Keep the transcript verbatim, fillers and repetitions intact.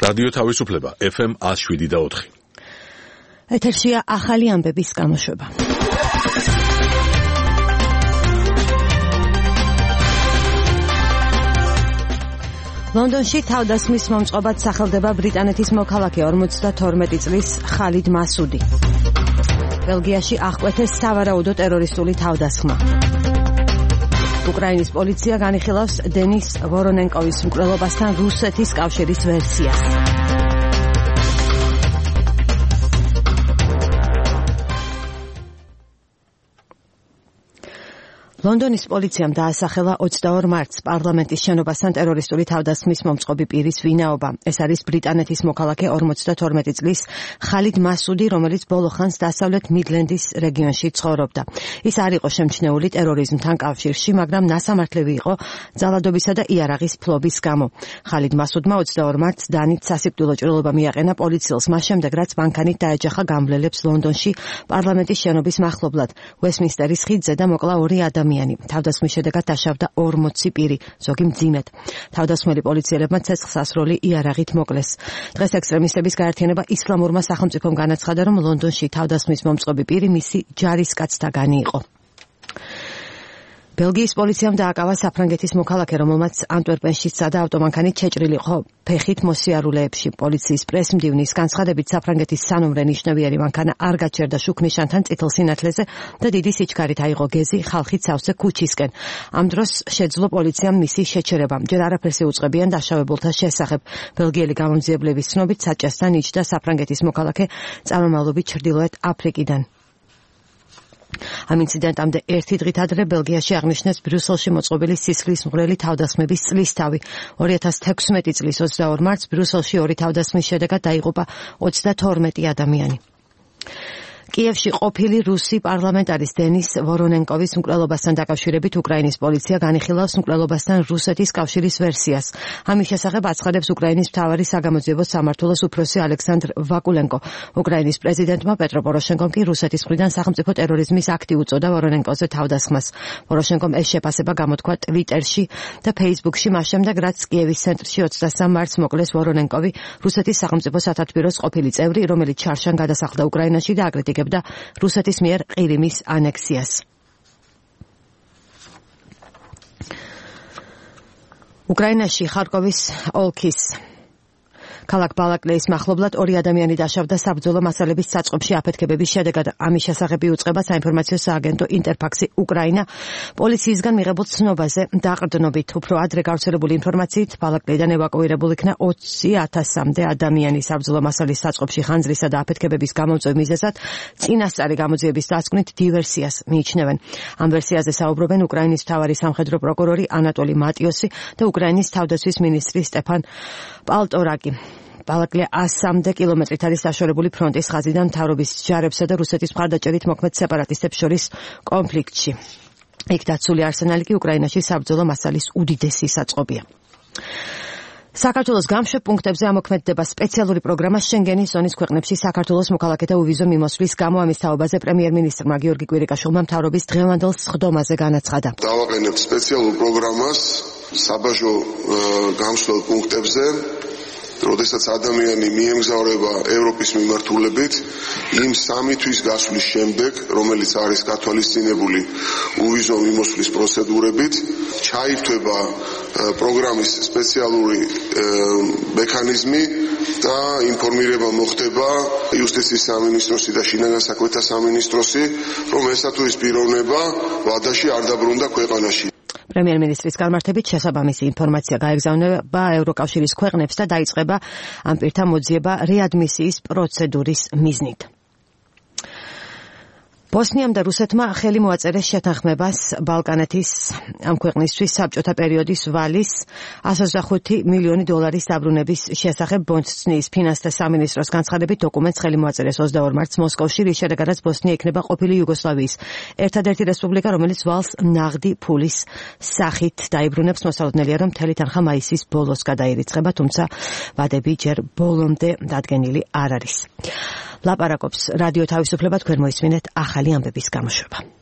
რადიო თავისუფლება ეფ ემ one oh seven და four. ეთერშია ახალი ამბების გამოშვება. ლონდონში თავდასხმის მომწყობად სახელდება ბრიტანეთის მოქალაქე ორმოცდათორმეტი წლის ხალიდ მასუდი. ბელგიაში აღკვეთეს სავარაუდო ტერორისტული თავდასხმა. უკრაინის პოლიცია განიხილავს დენის ვორონენკოვის მკვლელობასთან რუსეთის კავშირის ვერსიას. ლონდონის პოლიციამ დაასახელა ოცდაორ მარტს პარლამენტის შენობასთან ტერორისტული თავდასხმის მომწყობი პირის ვინაობა. ეს არის ბრიტანეთის მოქალაქე ორმოცდათორმეტი წლის ხალიდ მასუდი, რომელიც ბოლო ხანს დასავლეთ მიდლენდის რეგიონში ცხოვრობდა. ის არ იყო შემჩნეული ტერორიზმთან კავშირში, მაგრამ ნასამართლები იყო ძალადობისა და იარაღის ფლობის გამო. ხალიდ მასუდმა ოცდაორ მარტს დანით სასიკვდილო ჭრილობა მიაყენა პოლიციელს, მას შემდეგ რაც მანქანით დაეჯახა გამვლელებს ლონდონში პარლამენტის შენობის მახლობლად, ვესტმინსტერის ხიდზე და მოკლა ორი ადამიანი. თავდასხმის შედეგად დაშავდა ორმოცი პირი, ზოგი მძიმედ. თავდასხმელი პოლიციელებმა ცეცხლსასროლი იარაღით მოკლეს. დღეს ექსტრემისტების გაერთიანება ისლამურმა სახელმწიფომ განაცხადა, რომ ლონდონში თავდასხმის მომწყობი პირი მისი ჯარისკაცთაგანი იყო. ბელგიის პოლიციამ დააკავა საფრანგეთის მოქალაქე, რომელმაც ანტვერპენში სცადა ავტომანქანით შეჭრილი იყო ფეხით მოსიარულეებში. პოლიციის პრესმდივნის განცხადებით საფრანგეთის სანომრე ნიშნავიერი მანქანა არ გაჩერდა შუქნიშანთან წითელ სინათლეზე და დიდი სიჩქარით აიღო გეზი ხალხით სავსე ქუჩისკენ. ამ დროს შეძლო პოლიციამ მისი შეჩერება. ჯერ არაფერს ეუწყებიან დაშავებულთა შესახებ. ბელგიელი გამომძიებლების ცნობით საჭესთან იჯდა საფრანგეთის მოქალაქე წარმომავლობით ჩრდილოეთ აფრიკიდან. ამ ინციდენტამდე ერთი დღით ადრე ბელგიაში აღნიშნეს ბრიუსელში მოწყობილი სისხლის მღვრელი თავდასხმების წლისთავი. ორი ათას თექვსმეტი წლის ოცდაორ მარტს ბრიუსელში ორი თავდასხმის შედეგად დაიღუპა ოცდათორმეტი ადამიანი. კიევში ყოფილი რუსი პარლამენტარის დენის ვორონენკოვის მკვლელობასთან დაკავშირებით უკრაინის პოლიცია განიხილავს მკვლელობასთან რუსეთის კავშირის ვერსიას. ამის შესახებ აცხადებს უკრაინის მთავარი საგამოძიებო სამმართველოს უფროსი ალექსანდრ ვაკულენკო. უკრაინის პრეზიდენტმა პეტრო პოროშენკომ კი რუსეთის მხრიდან სახელმწიფო ტერორიზმის აქტი უწოდა ვორონენკოზე თავდასხმას. პოროშენკომ ეს შეფასება გამოთქვა ტვიტერში და ფეისბუქში, მას შემდეგ რაც კიევის ცენტრში ოცდასამ მარტს მოკლეს ვორონენკოვი, რუსეთის სახელმწიფო სათათბიროს ყოფილი წევრი, რომელიც ჩარშან გადასახლდა უკრაინაში და აკრიტიკებდა და რუსეთის მიერ ყირიმის ანექსიას. უკრაინაში ხარკოვის ოლქის ქალაქ ბალაკლეის მახლობლად ორი ადამიანი დაშავდა საბრძოლო მასალების საწყობში აფეთქებების შედეგად. ამის შესახებ იუწყება საინფორმაციო სააგენტო ინტერფაქსი უკრაინა. პოლიციისგან მიღებულ ცნობაზე დაყრდნობით უფრო ადრე გავრცელებული ინფორმაციით ბალაკლეიდან ევაკუირებულ იქნა ოცი ათასამდე ადამიანი. საბრძოლო მასალის საწყობში ხანძრისა და აფეთქებების გამომწვევ მიზეზად წინასწარი გამოძიების დასკვნით დივერსიას მიიჩნევენ. ამ ვერსიაზე საუბრობენ უკრაინის მთავარი სამხედრო პროკურორი ანატოლი მატიოსი და უკრაინის თავდაცვის მინისტრი სტეფან პალტორაკი. ბალაკლია ასამდე კილომეტრით არის დაშორებული ფრონტის ხაზიდან მთავრობის ჯარებსა და რუსეთის მხარდაჭერით მოქმედ სეპარატისტებს შორის კონფლიქტში. იქ დაცული არსენალი კი უკრაინაში საბრძოლო მასალის უდიდესი საწყობია. საქართველოს გამშვებ პუნქტებზე ამოქმედდება სპეციალური პროგრამა შენგენის ზონის ქვეყნებში საქართველოს მოქალაქეთა უვიზო მიმოსვლის გამო. ამის თაობაზე პრემიერ-მინისტრმა გიორგი კვირიკაშვილმა მთავრობის დღევანდელ სხდომაზე განაცხადა. დავაყენებთ სპეციალურ პროგრამას საბაჟო გამსვლელ პუნქტებზე, როდესაც ადამიანი მიემგზავრება ევროპის მიმართულებით, იმ სამი თვის გასვლის შემდეგ, რომელიც არის გათვალისწინებული უვიზო მიმოსვლის პროცედურებით, ჩაირთვება პროგრამის სპეციალური მექანიზმი და ინფორმირება მოხდება იუსტიციის სამინისტროსი და შინაგან საქმეთა სამინისტროსი, რომ ესა თუ ის პიროვნება ვადაში არ დაბრუნდა ქვეყანაში. პრემიერ-მინისტრის განმარტებით შესაბამისი ინფორმაცია გაეგზავნება ევროკავშირის ქვეყნებს და დაიწყება ამ პირთა მოძიება რეადმისიის პროცედურის მიზნით. ბოსნიამ და რუსეთმა ხელი მოაწერეს შეთანხმებას ბალკანეთის ამ ქვეყნისთვის საბჭოთა პერიოდის ვალის εκατს ოცდახუთი მილიონი დოლარის დაბრუნების შესახებ ბოსნიის ფინანსთა სამინისტროს განცხადებით დოკუმენტს ხელი მოაწერეს ოცდაორ მარტს მოსკოვში, რის შედეგადაც ბოსნია იქნება ყოფილი იუგოსლავიის ერთადერთი რესპუბლიკა, რომელიც ვალს ნაღდი ფულის სახით დაიბრუნებს. მოსალოდნელია, რომ მთელი თანხა მაისის ბოლოს გადაირიცხება, თუმცა ვადები ჯერ ბოლომდე დადგენილი არ არის. ლაპარაკობს რადიო თავისუფლება, თქვენ მოისმინეთ ახალი ამბების გამოშვება.